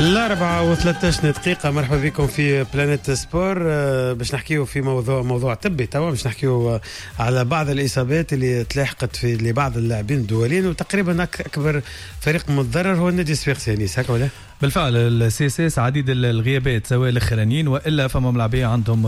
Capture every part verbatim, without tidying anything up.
الأربعة وثلاثة دقيقة، مرحبا بكم في Planète Sport. باش نحكيو في موضوع موضوع طبي توا، باش نحكيو على بعض الإصابات اللي تلاحقت في لبعض اللاعبين الدوليين، وتقريبا أكبر فريق متضرر هو النادي الصفاقسي. أنيس هكا ولا؟ بالفعل ال CSS عديد الغيابات سواء الاخرانيين والا فما ملاعبيه عندهم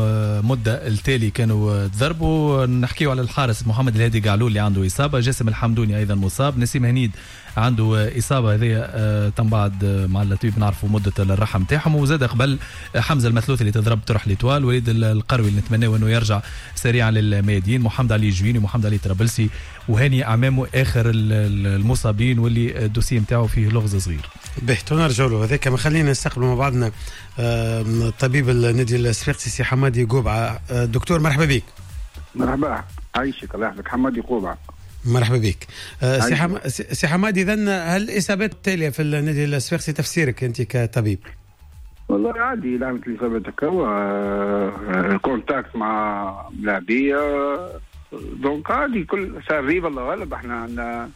مده التالي كانوا تضربوا. نحكيو على الحارس محمد الهادي قعلول اللي عنده اصابه، جاسم الحمدوني ايضا مصاب، نسيم هنيد عنده اصابه هذه تم بعد مع الطبيب نعرفوا مده الراحة نتاعهم، وزاد قبل حمزة المثلوث اللي تضرب طرح l'Étoile، وليد القروي اللي نتمناه انه يرجع سريعا للميادين، محمد علي جويني، محمد علي طرابلسي، وهاني اعمامه اخر المصابين واللي ال dossier نتاعو فيه لغز صغير. به نرجعوا له هذاك. ما خلينا نستقبلوا مع بعضنا طبيب النادي الصفاقسي سي حمادي قوبعه. دكتور مرحبا بك. مرحبا، عايشك الله يحفظك. حمادي قوبعه مرحبا بك. سي حم... سي حمادي، اذا هل الاصابات التالية في النادي الصفاقسي تفسيرك انت كطبيب؟ والله عادي، لعبة الاصابات هكا contact مع ملاعبيه donc عادي، كل ça arrive الله غالب. احنا عندنا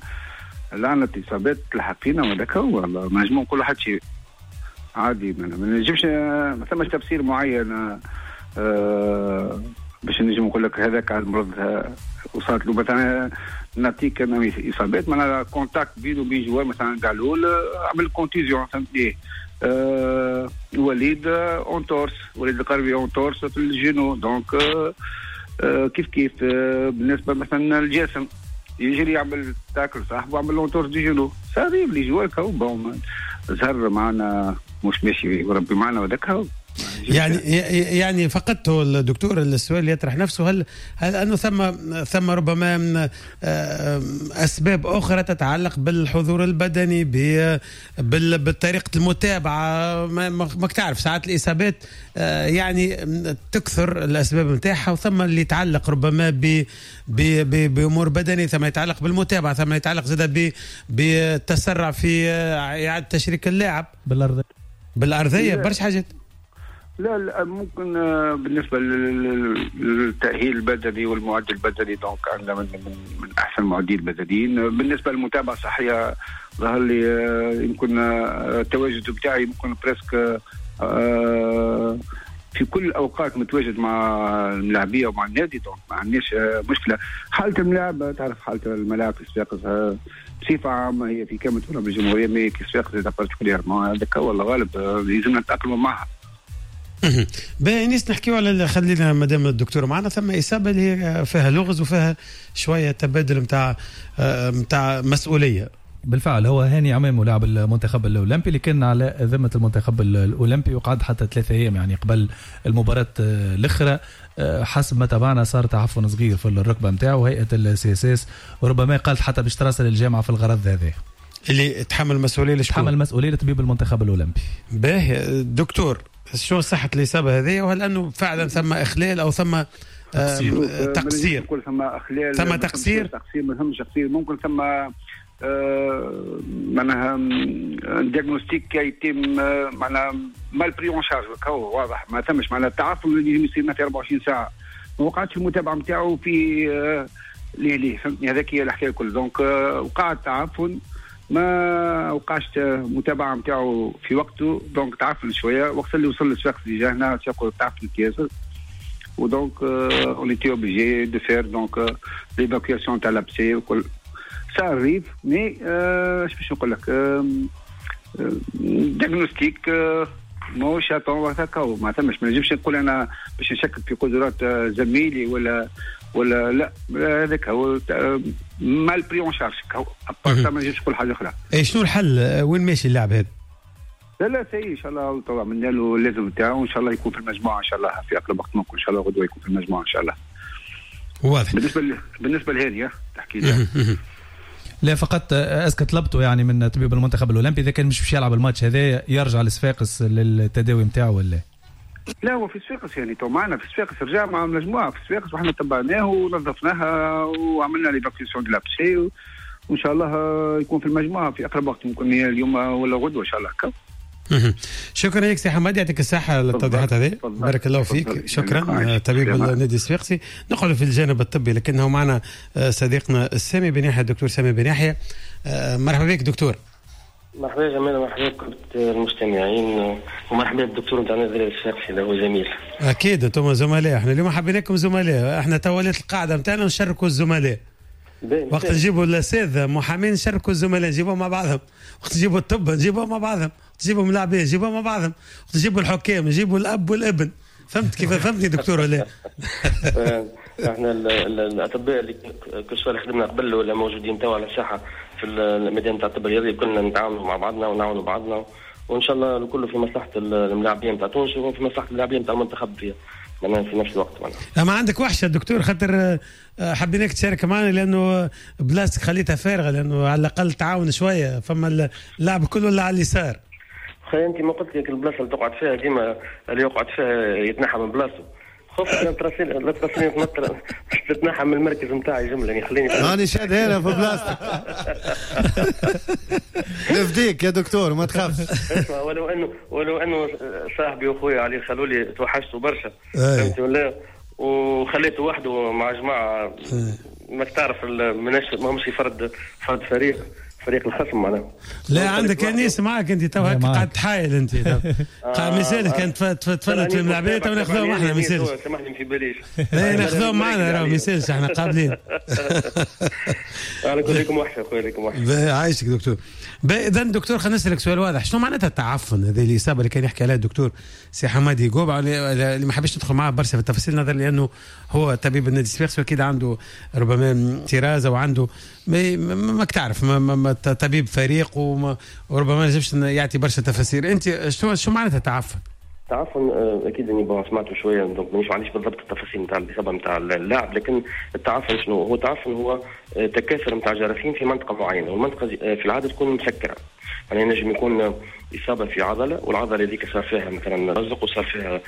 لعنة اصابات تلحق فينا وهذاك هو، والله ما نجمو نقولوا حتى شيء، عادي ما نجمش، ما ثماش تفسير معين أه باش نجم نقول لك هذاك المرض وصلت له. مثلا نعطيك انا اصابات معناها contact بينه وبين joueur مثلا قالول عمل contusion، فهمتني؟ أه وليد entorse، وليد القربي entorse في ال genou، donc أه كيف كيف أه بالنسبة مثلا الجاسم يجري يعمل tacle صاحبه عمل entorse du genou، ça arrive les joueurs كاو bon زهر معنا مش ماشي وربي معنا وذاك هو. يعني يعني فقدته الدكتور. السؤال اللي يطرح نفسه، هل هل انه ثم ثم ربما اسباب اخرى تتعلق بالحضور البدني، بطريقة المتابعة؟ ما تعرف ساعات الاصابات يعني تكثر الاسباب نتاعها، وثم اللي يتعلق ربما ب بامور بدني، ثم يتعلق بالمتابعة، ثم يتعلق زاد بالتسرع في اعاده تشريك اللاعب بالارضيه بالارضيه برشا حاجات. لا لا ممكن بالنسبة للتاهيل البدني والمعد البدني donc عندنا من, من, من احسن المعدين البدنيين. بالنسبة للمتابعة الصحية ظهر لي يمكن التواجد بتاعي يمكن presque في كل الاوقات متواجد مع الملاعبيه ومع النادي، donc ما عندناش مشكلة. حاله الملاعب تعرف حاله الملاعب في صفاقس بصفة عامة هي في كامل تراب الجمهورية، mais في صفاقس particulièrement هذاك والله غالب لازمنا نتاقلموا معها. باهي نيس، نحكيو على خلينا مادام الدكتور معنا، ثم اصابه اللي هي فيها لغز وفيها شوية تبادل نتاع نتاع مسؤولية. بالفعل هو هاني عمامو لاعب المنتخب الاولمبي اللي كان على ذمه المنتخب الاولمبي وقعد حتى ثلاثة ايام يعني قبل المباراة الاخرى. حسب ما تابعنا صار تعفن صغير في الركبة نتاعو، هيئة ال CSS وربما قالت حتى باش تراسل الجامعة في الغرض هذا. اللي تحمل المسؤولية لشكون؟ تحمل المسؤولية لطبيب المنتخب الاولمبي. باهي دكتور، شو صحة الإصابة هذه، وهل أنه فعلا ثم إخلال أو ثم تقصير؟ تقصير ثم إخلال، ثم تقصير، تقصير ما ثمش تقصير، ممكن ثم آه معناها diagnostic qui يتم معناها mal pris en charge، هو واضح ما ثمش معناها التعفن اللي يصير في أربعة وعشرين ساعة، ما وقعتش المتابعة نتاعو في آه ليه ليه فهمتني؟ هذاك هي الحكاية الكل. donc آه وقع التعفن، ما وقعش متابعه نتاعو في وقته، donc تعفن شوية وقت اللي وصل للصفاقس déjà هنا تعفن ياسر، و donc on était obligé de faire donc l'évacuation تاع l'abcès وكل ça arrive. mais اش باش نقول لك، diagnostic ماهوش à temps وهكا ما ثمش، ما نجمش نقول انا باش نشكك في قدرات زميلي ولا ولا لا، هذاك هو mal pris en charge، à part ما نجمش نقول حاجة اخرى. اي شنو الحل؟ وين ماشي اللاعب هذا؟ لا لا سي ان شاء الله طبعا عملنا له اللازم نتاعو، وان شاء الله يكون في المجموعة ان شاء الله في اقرب وقت ممكن، ان شاء الله غدوه يكون في المجموعة ان شاء الله. واضح. بالنسبة ل... بالنسبة لهانيه تحكي لي لا فقط est-ce que طلبته يعني من طبيب المنتخب الاولمبي اذا كان مش باش يلعب الماتش هذا يرجع لصفاقس للتداوي نتاعو ولا لا؟ هو في صفاقس يعني تو معنا في صفاقس، رجع مع المجموعة في صفاقس وحنا تبعناه ونظفناها وعملنا l'évacuation de l'abcès، وان شاء الله يكون في المجموعة في اقرب وقت ممكن اليوم ولا غدوه ان شاء الله. شكرا لك سي حماد، يعطيك الصحة للتوضيحات هذه، بارك الله فيك. شكرا طبيب النادي الصفاقسي. نقعد في الجانب الطبي لكنه معنا صديقنا السامي بن يحيى، الدكتور سامي بن يحيى. مرحبا بك دكتور. مرحبا يا جمال، مرحبا بكل المستمعين، ومرحبا بالدكتور نتاعنا الدراري الصفاقسي اللي هو زميل. اكيد انتم زملاء، احنا اليوم حبيناكم زملاء، احنا تولات القاعدة نتاعنا نشاركوا الزملاء. وقت نجيبوا الاساتذة محامين نشاركوا الزملاء، نجيبوهم مع بعضهم، وقت نجيبوا الطب نجيبوهم مع بعضهم، وقت نجيبوا الملاعبيه نجيبوهم مع بعضهم، وقت نجيبوا الحكام نجيبوا الاب والابن. فهمت كيف؟ فهمتني دكتور ولا؟ احنا الاطباء اللي كل سواء خدمنا قبل ولا موجودين توا على الساحة في الميدان تاع الطب الرياضي كلنا نتعاونوا مع بعضنا ونعاونوا بعضنا، وان شاء الله الكل في مصلحة الملاعبين تاع تونس وفي مصلحة الملاعبين تاع المنتخب فيها معناها في نفس الوقت. معناها ما عندك وحشة دكتور، خاطر حبيناك تشارك معنا لانه بلاستيك خليتها فارغة، لانه على الاقل تعاون شوية، فما اللعب كله ولا على اليسار. خي انت ما قلت لك البلاصة اللي تقعد فيها ديما اللي يقعد فيها يتنحى من بلاصته. خفت لا تراسيل لا تراسيل تتنحى من المركز نتاعي جملة، يعني خليني راني شاد هنا في بلاصتك. نفديك يا دكتور ما تخافش. اسمع، ولو انه ولو انه صاحبي واخويا علي خلولي توحشته برشا، فهمت ولا؟ وخليته وحده مع جماعة ماك تعرف ما همش فرد فرد فريق فريق الخصم معناها. لا عندك انيس معاك انت تو هكا قاعد تحايل انت قاعد ما يسالش، كان تفلت في الملعبيه تو ناخذوهم احنا ما يسالش. سامحني في باليش. لا ناخذوهم معنا راه ما يسالش، احنا قابلين. على كل لكم وحشة خويا، لكم وحشة. عايشك دكتور. اذا دكتور خلينا نسالك سؤال واضح، شنو معناتها التعفن هذه الاصابة اللي كان يحكي عليها الدكتور سي حمادي قوبع، اللي ما حبيش ندخل معاه برشا في التفاصيل نظرا لانه هو طبيب النادي الصفاقسي واكيد عنده ربما طراز او عنده ماك تعرف ما ما طبيب فريق وربما ما يجبش يعطي برشا تفاسير. انت شو شو معناتها التعفن؟ التعفن اكيد اني bon سمعته شوية donc مانيش معليش بالضبط التفاصيل نتاع الاصابة نتاع اللاعب، لكن التعفن شنو هو؟ التعفن هو تكاثر نتاع جراثيم في منطقة معينة، والمنطقة في العادة تكون مسكره، يعني نجم يكون اصابه في عضلة والعضله هذيك صار فيها مثلا رزق وصار فيها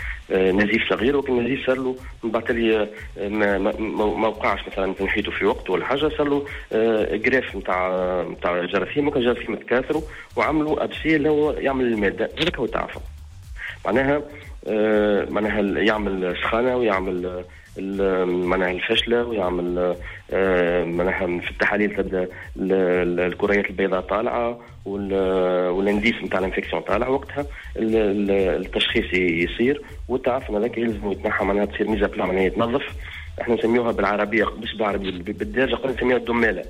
نزيف صغير، ولكن النزيف صار له من بعد تالي ما, ما وقعش مثلا تنحيته في وقت ولا حاجة، صار له greffe نتاع نتاع جراثيم، وكان جراثيم تكاثروا وعملوا abcès اللي هو يعمل المادة، هذاك هو التعفن. معناها معناها يعمل سخانه ويعمل معناها الفشله ويعمل معناها في التحاليل تبدا الكريات البيضاء طالعه وال indice نتاع ال infection طالع، وقتها التشخيص يصير والتعفن هذاك يلزم يتنحى، معناها تصير mise à plat، معناها يتنظف. احنا نسميوها بالعربية مش بالعربية بالدارجة قلنا نسميوها الدماله.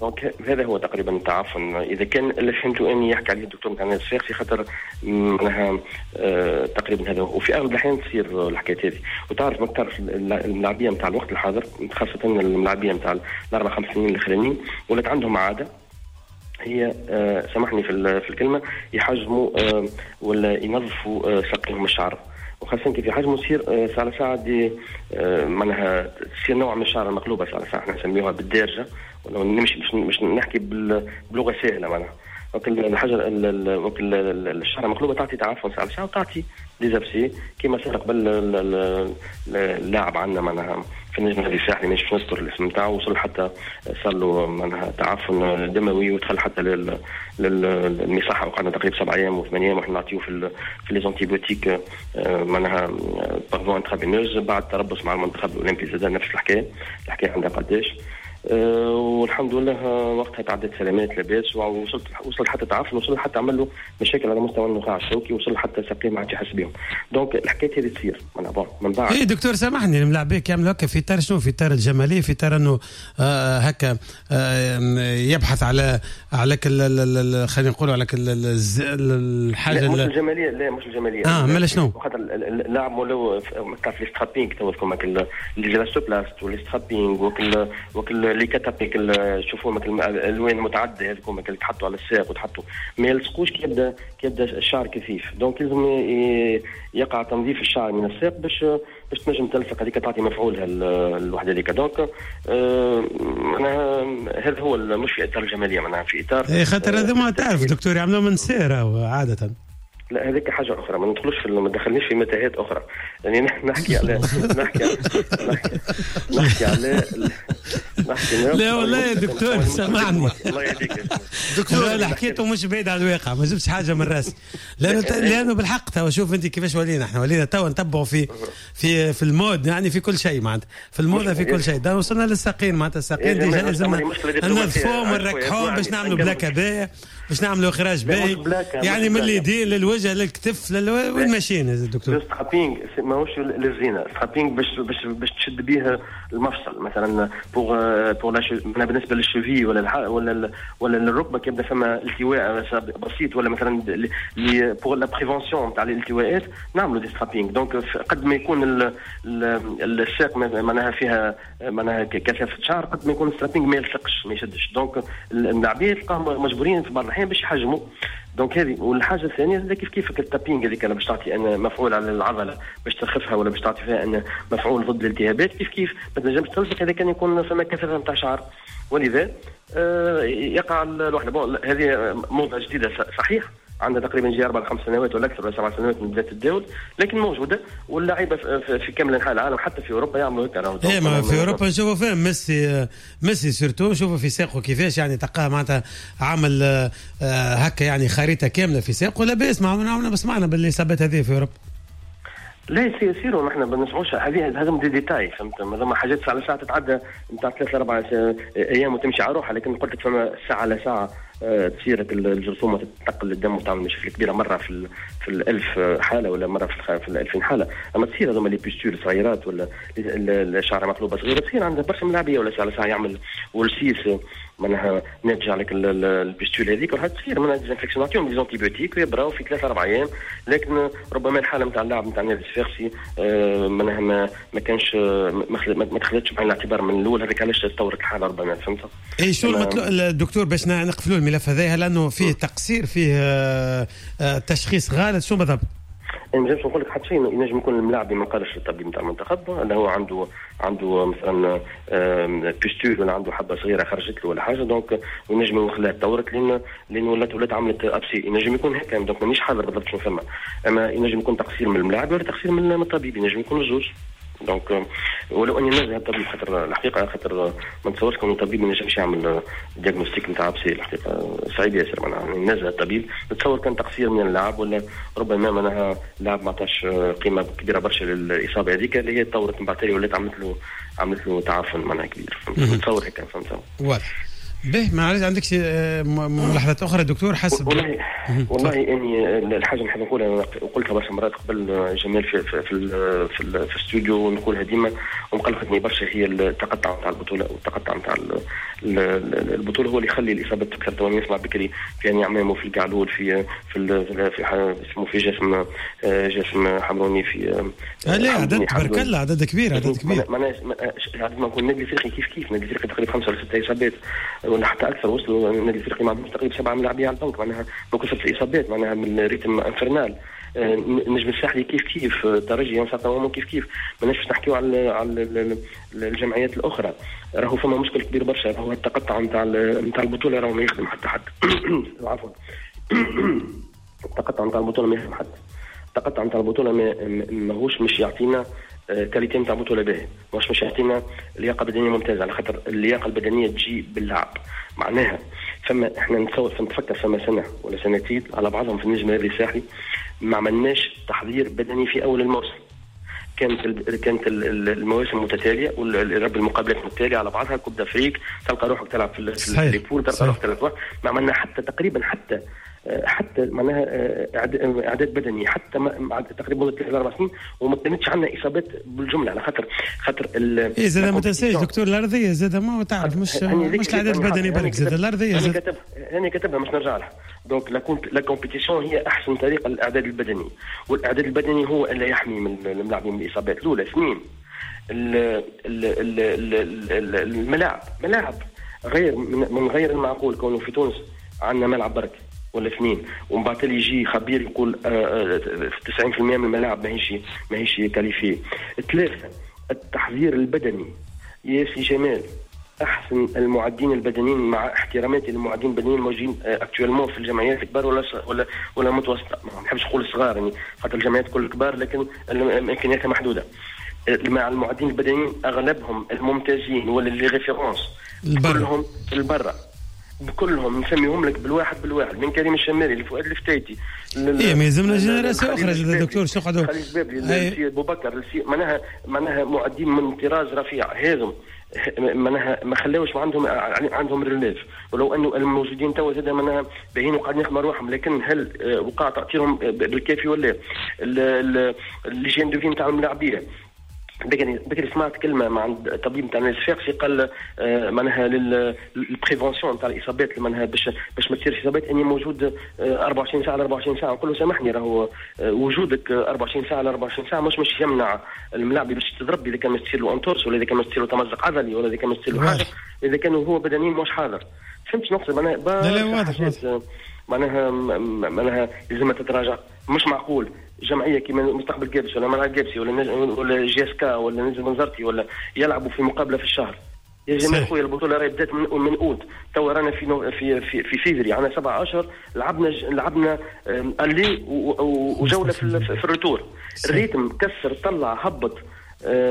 donc هذا هو تقريبا التعفن. اذا كان اللي فهمته اني يحكي عليه الدكتور نتاع الصفاقسي خاطر معناها آه تقريبا هذا، وفي اغلب الاحيان تصير الحكايات هذه. وتعرف ما تعرف الملاعبيه نتاع الوقت الحاضر، خاصة الملاعبيه نتاع الاربع خمس سنين الاخرانيين، ولات عندهم عادة هي آه سامحني في في الكلمة، يحجموا آه ولا ينظفوا آه ساقيهم الشعر، وخاصة كيف يحجموا تصير ساعة ساعة دي معناها تصير نوع من الشعر المقلوبة، ساعة ساعة احنا نسميوها بالدارجة، ولو نمشي باش مش نحكي بلغة سهلة معناها. وكل الحاجة وكل الشعر المقلوبة تعطي تعفن ساعة ساعة وتعطي des abcès كيما صار قبل اللاعب عندنا معناها في النجم النادي الساحلي، مش نذكر الاسم نتاعو، وصل حتى صار له معناها تعفن دموي ودخل حتى للمصحه، وقعدنا تقريبا سبع ايام وثمان ايام وحنا نعطيوه في في les antibiotiques معناها par voie intraveineuse. بعد تربص مع المنتخب الاولمبي زاد نفس الحكاية، الحكاية عندها قداش، أه والحمد لله وقتها تعدت سلامات لاباس، ووصلت وصل حتى تعفن، وصل حتى عمل له مشاكل على مستوى النخاع الشوكي، وصل حتى ساقيه ما عادش يحس بهم. donc الحكاية هذه تصير bon من بعد. اي دكتور سامحني، الملاعبيه يعملوا هكا في تار شنو؟ في تار الجمالية، في تار انه آه هكا آه يبحث على على خلينا نقولوا على الحاجة لا مش الجمالية، لا مش الجمالية اه مالا شنو؟ خاطر اللاعب ولاو تعرف les strappings تو les Elastoplast و les strappings وكل وكل les catapéks تشوفوهم الالوان المتعددة هذوك اللي تحطوا على الساق وتحطوا ما يلصقوش كي يبدا كي يبدا الشعر كثيف، donc لازم يقع تنظيف الشعر من الساق باش باش تنجم تلصق هذيك تعطي مفعولها الوحدة هذيك. donc معناها هذا هو مش في اطار الجمالية، معناها في اطار اي خاطر هذا ما تعرف دكتور يعملوه من سيره عادة. لا هذيك حاجة اخرى، ما ندخلوش في ما دخلنيش في متاهات اخرى، يعني نحكي على نحكي على نحكي على نحكي لا والله يا دكتور سامحني الله يهديك دكتور، اللي حكيته مش بعيد على الواقع، ما جبتش حاجة من راسي، لانه لانه بالحق توا شوف انت كيفاش ولينا احنا، ولينا توا نتبعوا في في في ال mode، يعني في كل شيء معناتها في الموضة في كل شيء، ده وصلنا للساقين معناتها الساقين déjà لازم ننظفوهم ونركحوهم باش نعملوا بلاكه باهيه باش نعملوا اخراج باهي، يعني من اليدين للوجه للكتف لل... وين ماشيين يا دكتور؟ strapping ماهوش للزينة، strapping باش باش باش تشد به المفصل مثلا pour pour بالنسبة لل cheville ولا الح... ولا ولا للركبه كيبدا فما التواء بسيط، ولا مثلا pour la prévention تاع الالتواءات نعملوا des strappings. donc قد ما يكون ال... الساق معناها فيها معناها كثافة شعر، قد ما يكون strapping ما يلصقش ما يشدش. donc اللاعبين تلقاهم مجبورين في بعض الاحيان باش يحجموا. donc هذه. والحاجة الثانية زاد كيف كيف ال taping هذيك باش تعطي ان مفعول على العضلة باش ترخفها ولا باش تعطي فيها ان مفعول ضد الالتهابات، كيف كيف ما تنجمش تلصق اذا كان يكون فما كثافة نتاع شعر، ولذا آه يقع الوحدة. bon هذه موضة جديدة صحيح، عندها تقريبا جي اربع خمس سنوات ولا اكثر ولا سبع سنوات من بداية التداول، لكن موجودة واللعيبة في كامل انحاء العالم حتى في اوروبا يعملوا هكا. ايه ما في اوروبا نشوفوا فيه ميسي ميسي surtout نشوفوا في ساقه كيفاش يعني تلقاه معناتها عامل هكا يعني خريطة كاملة في ساقه، لاباس ما سمعنا بالاصابات هذه في اوروبا. لا يصيروا، نحن ما نسمعوش هذه، هذم des détails فهمت، هذوما حاجات ساعة على ساعة تتعدى نتاع ثلاث اربع ايام وتمشي على روحها، لكن قلت لك فما ساعة على ساعة تصير الجرثومه تتنقل للدم وتعمل مشاكل كبيرة مرة في في الألف حاله ولا مرة في في الألفين حاله. اما تصير هذوما les pustules صغيرات ولا الشعرة مقلوبة صغيرة تصير عند برشا ملاعبيه، ولا ساعة على ساعة يعمل ولسيس معناها ناتج عليك ال pustule هذيك، ولا تصير منها désinfection، نعطيهم des antibiotiques ويبراو في ثلاث اربع ايام. لكن ربما الحالة نتاع اللاعب نتاع النادي الصفاقسي معناها ما ما كانش ما دخلتش بعين الاعتبار من الاول، هذاك علاش تطورت الحالة ربما، فهمت؟ اي شو المطلوب الدكتور باش نقفلوا الملف هذا، لانه فيه تقصير فيه تشخيص غلط، شو بالضبط؟ ما نجمش نقول لك حتى شيء، ينجم يكون الملاعب ما قالش للطبيب نتاع المنتخب اللي هو عنده عنده مثلا pustule ولا عنده حبه صغيرة خرجت له ولا حاجة، donc وينجم يخليها تطورت لان لان ولات ولات عملت abcès، ينجم يكون هكا. donc مانيش حاضر بالضبط شنو فما، اما ينجم يكون تقصير من الملاعب ولا تقصير من الطبيب، ينجم يكون الزوج. donc ولو اني نزه الطبيب خاطر الحقيقة، خاطر ما نتصورش كون الطبيب ما ينجمش يعمل diagnostic نتاع abcès، الحقيقة صعيب ياسر معناها نزه الطبيب. نتصور كان تقصير من اللاعب ولا ربما معناها اللاعب ما عطاش قيمة كبيرة برشا للاصابة هذيك اللي هي تطورت من بعد تالي ولات عملت له عملت له تعفن معناها كبير، نتصور هكا، فهمت؟ واضح. به ما عندك عندك ملاحظات اخرى دكتور؟ حسب والله والله اني الحاجة نحب نقولها وقلتها برشا مرات قبل جمال في في في, في, في الاستوديو ونقولها ديما ومقلقتني برشا، هي التقطع نتاع البطولة والتقطع نتاع البطولة هو اللي يخلي الاصابات تكثر. تو نسمع بكري في يعني عمامو في القعلول في في في اسمه في جسم جسم حمروني في لا عدد تبارك الله عدد كبير عدد كبير معناها عدد ما نقول النادي الافريقي كيف كيف النادي الافريقي تقريبا خمسة ولا ستة اصابات ولا حتى اكثر، وصلوا النادي الافريقي مع تقريبا سبعة ملاعبيه على البنك معناها بكثرة الاصابات معناها من rythme infernal. النجم الساحلي كيف كيف، الترجي يعني كيف كيف، ماناش باش نحكيو على على الجمعيات الاخرى. راهو فما مشكل كبير برشا، راهو التقطع نتاع نتاع البطولة راهو ما يخدم حتى حد عفوا التقطع نتاع البطولة ما يخدم حد، التقطع نتاع البطولة ماهوش مش يعطينا qualité نتاع بطوله باهيه، ماهوش مش يعطينا لياقه بدنية ممتازة، على خاطر اللياقة البدنية تجي باللعب. معناها فما احنا نتصور نتفكر فما سنة ولا سنتين على بعضهم في النجم الرياضي الساحلي ما عملناش تحضير بدني في اول الموسم، كانت ال كانت ال المواسم متتالية والرب المقابلات متتالية على بعضها، Coupe d'Afrique تلقى روحك تلعب في les poules، تلقى روحك تلعب، ما عملنا حتى تقريبا حتى حتى معناها اعداد بدني حتى تقريبا مده ثلاث اربع سنين، وما كانتش عندنا اصابات بالجملة على خاطر خاطر اي زاد ما تنساش دكتور الارضية زاد ما تعرف مش مش الاعداد البدني برك، زاد الارضية زاد كتبها انا كتبها مش نرجع لها. donc la compétition هي احسن طريقه للاعداد البدني، والاعداد البدني هو اللي يحمي من الملاعبين من الاصابات. الاولى اثنين الملاعب، ملاعب غير من غير المعقول كونه في تونس عندنا ملعب برك ولا اثنين، ومن بعد يجي خبير يقول تسعين بالمئة من الملاعب ماهيش ماهيش qualifiée. ثلاثة التحضير البدني يا سي جمال، احسن المعدين البدنيين مع احتراماتي للمعدين البدنيين الموجودين actuellement في الجمعيات الكبار ولا ولا ولا متوسطه، ما نحبش نقول الصغار يعني خاطر الجمعيات كل كبار لكن امكانياتها محدودة. مع المعدين البدنيين اغلبهم الممتازين ولا les références كلهم البرة، كلهم نسميهم لك بالواحد بالواحد، من كريم الشمالي لفؤاد الفتايتي. ايه ما يلزمنا génération اخرى دكتور، شو قعدوا خليل البابلي، ابو بكر، معناها معناها معدين من طراز رفيع. هذم معناها ما خلاوش ما عندهم عندهم relève، ولو انه الموجودين توا زاد معناها باهيين وقاعدين يخدموا رواحهم، لكن هل وقع تاثيرهم بالكافي ولا لا؟ l'hygiène de vie نتاع الملاعبيه. بكري بكري سمعت كلمة مع عند الطبيب نتاع النادي الصفاقسي، قال معناها لل prévention نتاع الاصابات، معناها باش باش ما تصيرش اصابات، اني موجود أربعة وعشرين ساعة على أربعة وعشرين ساعة. نقول له سامحني، راهو وجودك أربعة وعشرين ساعة على أربعة وعشرين ساعة مش مش يمنع الملاعب باش تضرب اذا كان مش تصير له entorse، ولا اذا كان مش تصير له تمزق عضلي، ولا اذا كان مش تصير له حاجة، اذا كان هو بدنيا مش حاضر. فهمت شنو نقصد؟ معناها لا لا واضح واضح. معناها معناها لازم تتراجع. مش معقول جمعية كيما مستقبل قابس ولا ملعب قابسي ولا ولا JSK ولا نجم بنزرتي ولا يلعبوا في مقابله في الشهر. يا جماعة خويا البطولة راهي بدات من من اوت، توا رانا في في في, في فيفري، عندنا سبعة اشهر لعبنا لعبنا aller وجوله في, في ال retour. ال rythme كسر طلع هبط،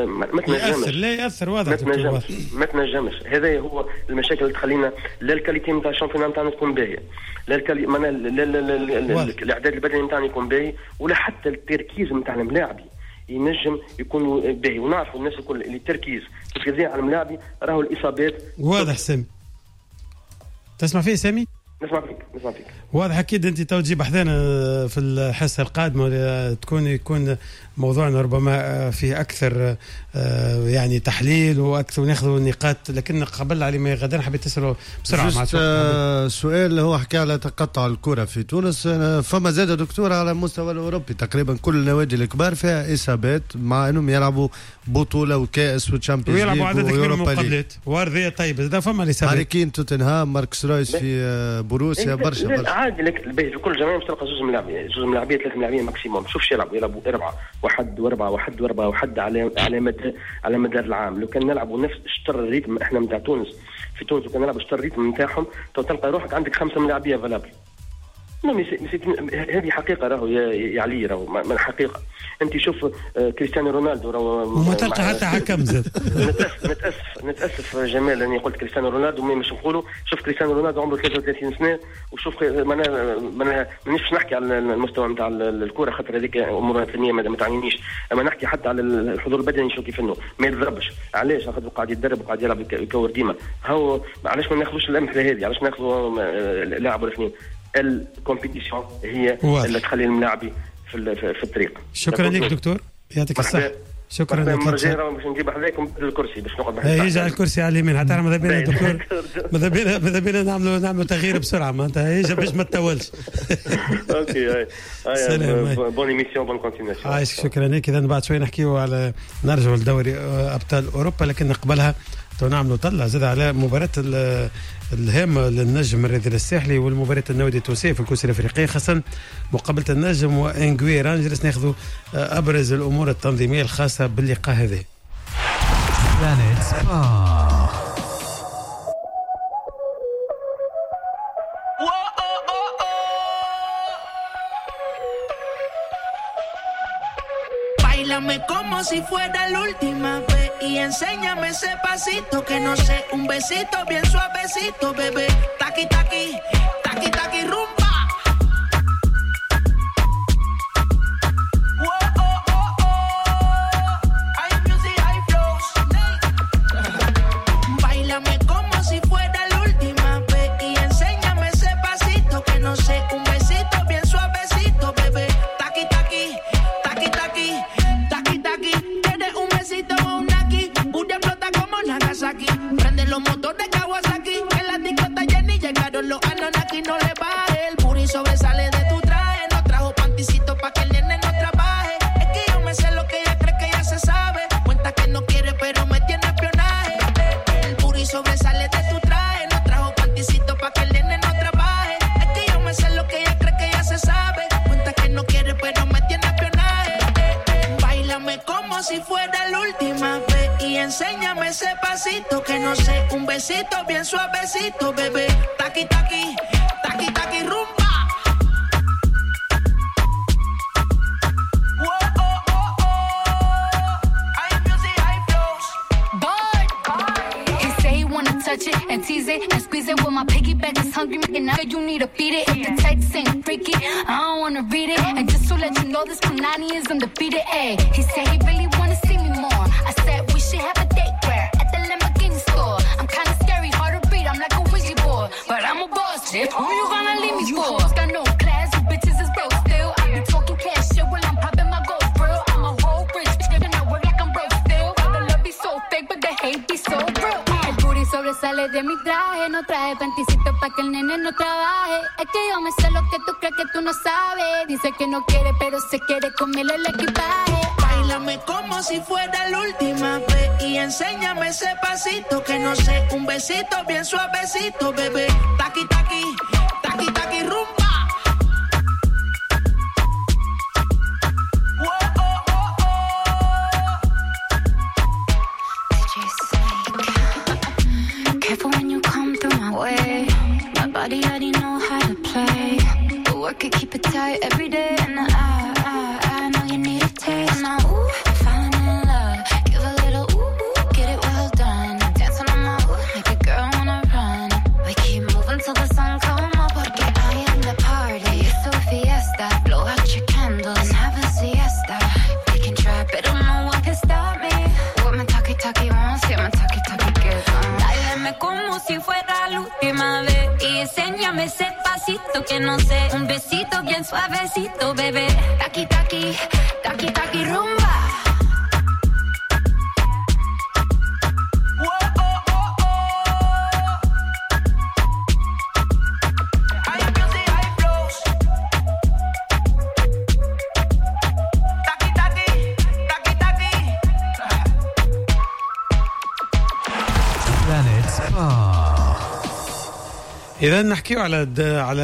ما تنجمش. لا ياثر واضح، ما تنجمش ما تنجمش. هذا هو المشاكل اللي تخلينا لا ال qualité نتاع ال championnat نتاعنا تكون باهيه، لا ال quali معناها لا الاعداد البدني نتاعنا يكون باهي، ولا حتى التركيز نتاع الملاعبي ينجم يكون باهي. ونعرفوا الناس الكل اللي التركيز كيف يضيع على الملاعبي راهو الاصابات. واضح سامي، تسمع فيه سامي؟ نسمع فيك نسمع فيك واضح. اكيد انت تو تجيب حذانا في الحصة القادمة، تكون يكون موضوعنا ربما فيه اكثر يعني تحليل واكثر وناخذ نقاط، لكن قبل علي ما غدا حبيت تساله بسرعة مع سؤال. هو حكى على تقطع الكره في تونس، فما زاد دكتور على المستوى الاوروبي تقريبا كل النوادي الكبار فيها اصابات، مع انهم يلعبوا بطوله وكاس و Champions League ويلعبوا عدد كبير من المقابلات وارضيه. طيب اذا فما الاصابات، هاري كين توتنهام، ماركس رويس في بروسيا، برشا برشا عادي. لك في كل جمعية باش تلقى زوج ملاعبين، زوج ملاعبين، ثلاث ملاعبين maximum. شوف شي يلعبوا، يلعبوا اربعة واحد واربعة واحد واربعة واحد على على مدى على مدار العام. لو كان نلعبوا نفس شطر ال rythme احنا نتاع تونس في تونس، وكان نلعبوا شطر ال rythme نتاعهم، تلقى روحك عندك خمسة ملاعبيه valables. هذه حقيقة راهو يا, يا علي، راهو من حقيقة. انت شوف كريستيانو رونالدو راهو وما تلقى حتى حكم زاد. نتاسف نتاسف نتاسف جمال اني قلت كريستيانو رونالدو، mais مش نقولوا شوف كريستيانو رونالدو عمره ثلاثة وثلاثين سنة، وشوف معناها معناها مانيش باش نحكي على المستوى نتاع الكره خاطر هذيك امورها الفنية ما تعنينيش، اما نحكي حتى على الحضور البدني شو كيف انه ما يتضربش. علاش؟ خاطر قاعد يتدرب وقاعد يلعب يكور ديما. هو علاش ما ناخذوش الامثلة هذه؟ علاش ناخذوا لاعب ولا اثنين؟ ال compétition هي واضح. اللي تخلي الملاعبي في في الطريق. شكرا لك دكتور، يعطيك الصحة. شكرا لك. باش نجيب حذاكم الكرسي باش نقعد يجي على الكرسي على اليمين حتى ماذا بينا دكتور، ماذا بينا ماذا بينا نعملوا نعملوا تغيير بسرعة، معناتها يجي باش ما تطولش. OK هاي هاي bonne émission bonne continuation. عايش شكرا لك. اذا بعد شوي نحكيو على نرجعوا لدوري ابطال اوروبا، لكن قبلها تو نعملوا طلع زاد على مباراة الهامة للنجم الرياضي الساحلي والمباراة النادي التونسي في الكؤوس الافريقية، خاصة مقابلة النجم وانغوي رانجرز. ناخذوا ابرز الامور التنظيمية الخاصة باللقاء هذا. Báilame como si fuera la última vez y enséñame ese pasito que no sé, un besito bien suavecito, bebé. Taqui taqui, taqui taqui rumba. Whoa, oh, oh, oh. High music, high flows. Báilame como si fuera la última vez y enséñame ese pasito que no sé, un besito bien suavecito, bebé. Taqui taqui, taqui taqui. Nagasaki, prende los motores Kawasaki, en la discota llena y llegaron los Anunnaki, no le baje, el booty sobresale de tu traje, no trajo panticito pa' que el nene no trabaje, es que yo me sé lo que ella cree que ya se sabe, cuenta que no quiere pero me tiene espionaje, el booty sobresale de tu traje, no trajo panticito pa' que el nene no trabaje, es que yo me sé lo que ella cree que ya se sabe, cuenta que no quiere pero me tiene espionaje, báilame como si fuera la última vez y enséñame ese pasito que no sé, un besito bien suavecito, bebé. Taqui taqui, taqui taqui rumba. Whoa, oh, oh, oh. High music, high flows. Bird. He say he wanna touch it and tease it and squeeze it. Well, my piggyback is hungry, and now you need to feed it. If the text ain't freaky, I don't wanna read it. And just to let you know, this Punani is undefeated. Ay, he said he really wanna see me more. I said we should have a date where at the Lamborghini Who you gonna leave me for? Got no class, you bitches is broke still. I be talking cash shit while I'm popping my gold grill. I'm a whole rich bitch, and I work like I'm broke still. The love be so fake, but the hate be so real. El booty sobresale de mi traje, no traje panticito pa' que el nene no trabaje. Es que yo me sé lo que tú crees que tú no sabes. Dice que no quiere, pero se quiere comerle el equipaje. Báilame como si fuera la última vez y enséñame ese pasito que no sé, un besito bien suavecito, bebé. Taqui, taqui, taqui, taqui, rumba. Whoa, oh, oh, oh. D J Snake. Careful when you come through my way. My body already know how to play. But work it, keep it tight every day. And I, I, I know you need a taste. Now, ooh, I'm falling in love. Give a little ooh, ooh, get it well done. Dancing on my ooh, make a girl wanna run. We keep moving till the sun come up. Porque I am the party. It's a fiesta. Blow out your candles and have a siesta. We can try, but no one can stop me. What my talkie talkie wants, get my talkie talkie gets on. Báilame como si fuera la última vez y enséñame ese pasito que no sé. Un besito bien suavecito, bebé. Taqui, taqui, taqui, taqui, rumba. Whoa, oh, oh, oh. High music, high flows. Taqui, taqui, taqui, taqui. Planet Sport. إذا نحكيو على على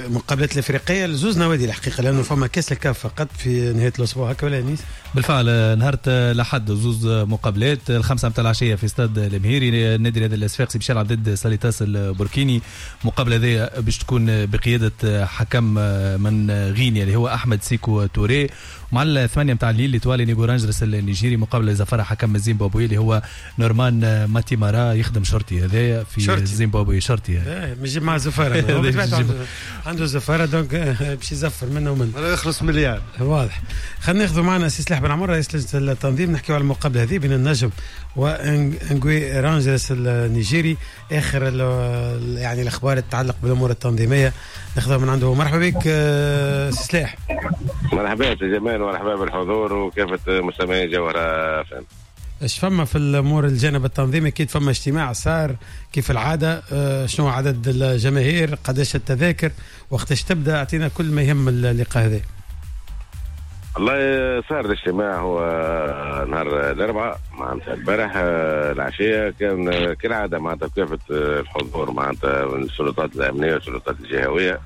المقابلات الافريقية لزوز نوادي الحقيقة، لانه فما كاس الكاف فقط في نهاية الاسبوع هكا ولا انيس؟ بالفعل نهار الاحد زوز مقابلات، الخمسة متاع العشية في استاد المهيري النادي الرياضي الصفاقسي باش يلعب ضد ساليتاس البوركيني. المقابلة هذه باش تكون بقيادة حكم من غينيا اللي هو احمد سيكو توري. مع الثمانية متاع الليل لتوالي نيغو رانجرس النيجيري، مقابله زفرها حكم الزيمبابوي اللي هو نورمان ماتيمارا، يخدم شرطي هذايا في الزيمبابوي، شرطي ايه مش مع زفاره عنده زفاره donc باش يزفر منه ومنه يخلص مليار واضح. خلينا ناخذ معنا سي سلاح بن عمر رئيس لجنة التنظيم، نحكيو على المقابلة هذه بين النجم وانغوي رانجرس النيجيري. اخر يعني الاخبار تتعلق بالامور التنظيمية ناخذها من عنده. مرحبا بك سي سلاح. مرحبا سي جمال ومرحبا بالحضور وكافة مستمعي جوهرة فهم. ايش فما في الامور الجانب التنظيمي؟ اكيد فما اجتماع صار كيف العادة، شنو عدد الجماهير، قداش التذاكر، وقتاش تبدا، اعطينا كل ما يهم اللقاء هذا. والله صار الاجتماع هو نهار الاربعاء معناتها البارح العشية، كان كالعادة معناتها كافة الحضور معناتها من السلطات الامنية والسلطات الجهوية،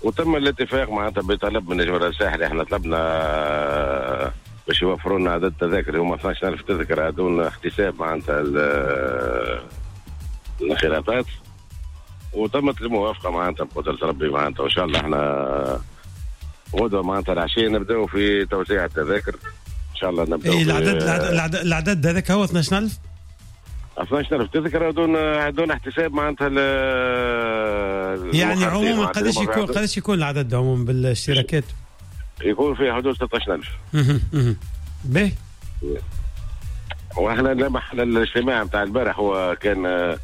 وتم الاتفاق معناتها بطلب من الجمهور الساحلي. احنا طلبنا باش يوفروا لنا عدد تذاكر هما اثناش ألف تذكره دون احتساب معناتها الانخراطات، وتمت الموافقة معناتها بقدره ربي معناتها، وان شاء الله احنا غدوه معناتها العشية نبداو في توزيع التذاكر ان شاء الله. نبداو إيه العدد العدد العدد هذاك هو اثناش ألف اثناش ألف تذكره دون دون احتساب معناتها يعني عموما قداش يكون قداش يكون العدد عموما بالاشتراكات؟ يكون في حدود ستة عشر ألف. اها اها باهي. واحنا لما الاجتماع نتاع البارح هو كان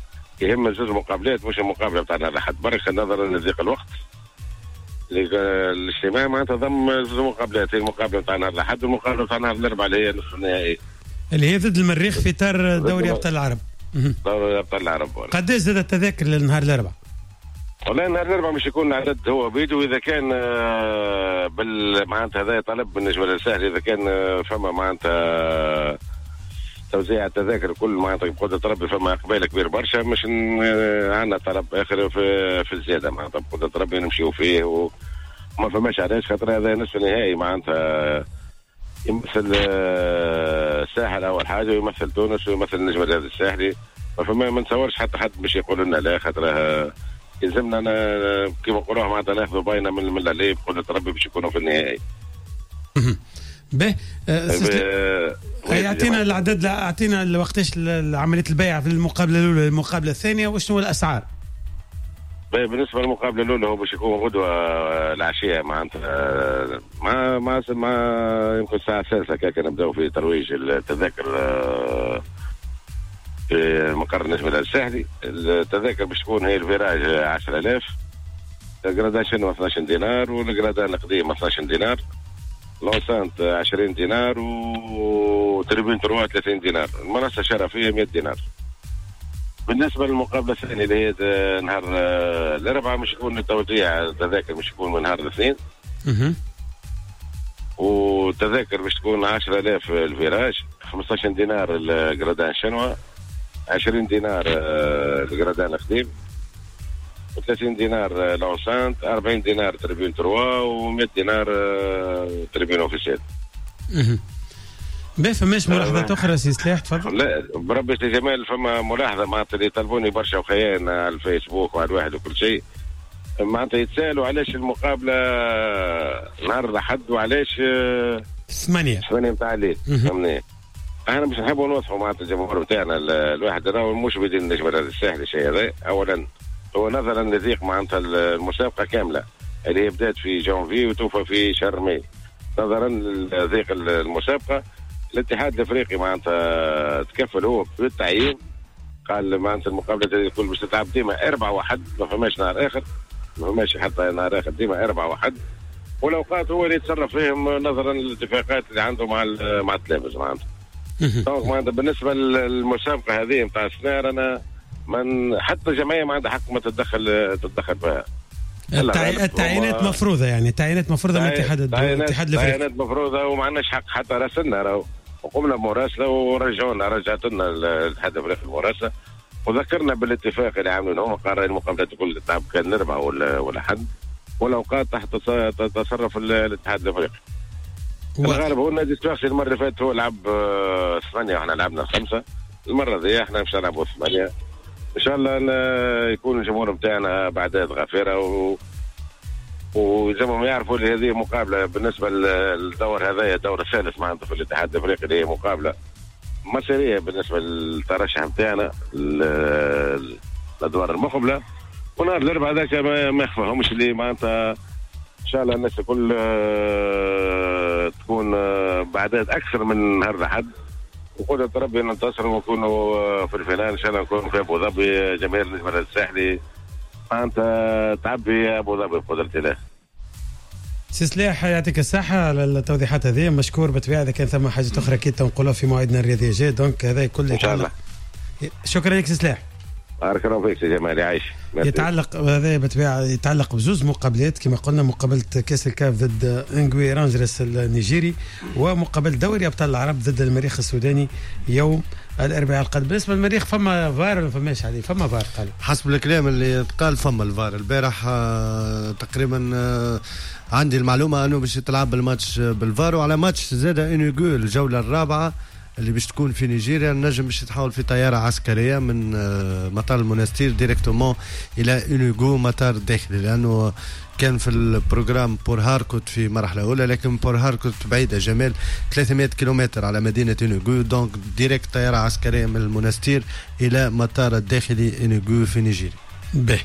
يهم زوج مقابلات مش المقابلة نتاع الاحد برك، نظرا لضيق الوقت. الاجتماع معناتها ضم زوج مقابلات، المقابلة نتاع نهار الاحد والمقابلة نتاع نهار الاربعاء اللي هي نصف النهائي اللي هي ضد المريخ في اطار دوري ابطال العرب. دوري ابطال العرب. قداش زاد التذاكر للنهار الاربعاء؟ والله نهار الاربعاء مش يكون العدد هو بيدو، اذا كان بال معناتها هذا طلب من الجبل الساحلي، اذا كان فما معناتها توزيع التذاكر كل معناتها بقدرة ربي فما اقبال كبير برشا، مش عندنا طلب اخر في, في الزيادة معناتها بقدرة ربي نمشيو فيه وما فماش علاش، خاطر هذا نصف نهائي معناتها يمثل الساحل اول حاجة، ويمثل تونس، ويمثل النجم الرياضي الساحلي. ما فما ما نتصورش حتى حد باش يقول لنا لا، خاطر يلزمنا كيما نقولوها معناتها ناخذوا باينة من من اللي بقدرة ربي باش يكونوا في النهائي. به اعطينا العدد، اعطينا وقتاش عملية البيع في المقابلة الاولى والمقابلة الثانية، وشنو الاسعار؟ بالنسبة للمقابله الاولى هو باش يكون غدوه العشية معناتها مع مع مع يمكن الساعة الثالثة كاكا نبداو في ترويج التذاكر في مقر النجم الساحلي. التذاكر باش تكون هي ال virage عشرة آلاف، ال gradin chinois اثناش دينار، وال gradin القديم اثناش دينار، l'enceinte عشرين دينار، و tribune trois ثلاثين دينار، المنصة الشرفيه مية دينار. بالنسبة للمقابله الثانية اللي هي نهار الاربعاء مش يكون التوزيع التذاكر مش يكون من نهار الاثنين، والتذاكر باش تكون عشرة آلاف ال virage، خمسطاش دينار ال gradin chinois، عشرين دينار ال gradin القديم، وثلاثين دينار l'enceinte، أربعين دينار tribune trois، ومية دينار tribune officielle. باهي، فماش ملاحظات اخرى سي سلاح؟ تفضل. لا بربي سي جمال، فما ملاحظة معناتها اللي طلبوني برشا وخيان على الفيسبوك وعلى الواحد وكل شيء، معناتها يتسالوا علاش المقابلة نهار الاحد وعلاش ثمانية ثمانية نتاع الليل. فهمني؟ احنا باش نحبوا نوضحوا معناتها الجمهور نتاعنا الواحد راهو مش بدين النجم الساحلي الشيء هذا. اولا هو نظرا لضيق معناتها المسابقة كاملة اللي هي بدات في جانفي وتوفى في شهر ماي، نظرا لضيق المسابقة الاتحاد الافريقي معناتها تكفل هو بالتعيين، قال معناتها المقابلة هذه الكل باش تتلعب ديما أربعة واحد، ما فماش نهار اخر، ما فماش حتى نهار اخر، ديما أربعة واحد، والاوقات هو اللي يتصرف فيهم نظرا للاتفاقات اللي عنده مع مع التلاميذ معناتها. donc معناتها بالنسبة للمسابقه هذه نتاع السنة انا من حتى جمعية ما عندها حق ما تتدخل تتدخل فيها. التعيينات مفروضة، يعني التعيينات مفروضة من الاتحاد الاتحاد الافريقي، التعيينات مفروضة وما عندناش حق حتى راسلنا راهو، وقمنا بمراسله ورجعونا رجعت لنا الاتحاد الافريقي المراسله وذكرنا بالاتفاق اللي عاملينه، هما قرر المقابلات الكل تلعب كان نربع ولا ولا حد، والاوقات تحت تصرف الاتحاد الافريقي. الغالب هو النادي الصفاقسي المرة اللي فاتت هو لعب ثمانية واحنا لعبنا خمسة، المرة ذي احنا باش نلعبوا ثمانية. ان شاء الله يكون الجمهور نتاعنا باعداد غفيره و وزي يعرفوا اللي هذه مقابله بالنسبة للدور هذايا الدور الثالث معناتها في الاتحاد الافريقي، اللي هي مقابله مصيرية بالنسبة للترشح نتاعنا الادوار المقبلة. ونهار الاربعاء هذاك ما يخفاهمش اللي معناتها ان شاء الله الناس الكل تكون باعداد اكثر من نهار الاحد، وقدرة ربي ننتصر ونكونوا في ال finale ان شاء الله، نكونوا في ابو ظبي. جماهير النجم الساحلي معناتها تعبي ابو ظبي بقدرة الله. سي سلاح يعطيك الصحة على التوضيحات هذه، مشكور بالطبيعة. إذا كان ثم حاجة أخرى أكيد تنقلوها في موعدنا الرياضي الجاي، donc هذا كل إن شاء الله. شكرا لك سي سلاح. بارك الله فيك سي جمال، يعيش. يتعلق هذا بالطبيعة يتعلق بزوز مقابلات كما قلنا، مقابلة كاس الكاف ضد انغوي رانجرس النيجيري، ومقابلة دوري أبطال العرب ضد المريخ السوداني يوم الأربعاء القادم. بالنسبة للمريخ فما فار ولا فماش عليه؟ فما فار قالوا حسب الكلام اللي تقال فما الفار البارح آه تقريبا آه عندي المعلومة أنه باش تلعب الماتش بالفار، وعلى ماتش زاد إنوغو الجولة الرابعة اللي باش تكون في نيجيريا، النجم باش يتحول في طيارة عسكرية من مطار المونستير directement إلى إنوغو مطار الداخلي، لأنه كان في ال programme بور هاركوت في مرحلة أولى، لكن بور هاركوت بعيدة جمال ثلاثمائة كيلومتر على مدينة إنوغو، donc direct طيارة عسكرية من المونستير إلى مطار الداخلي إنوغو في نيجيريا. باهي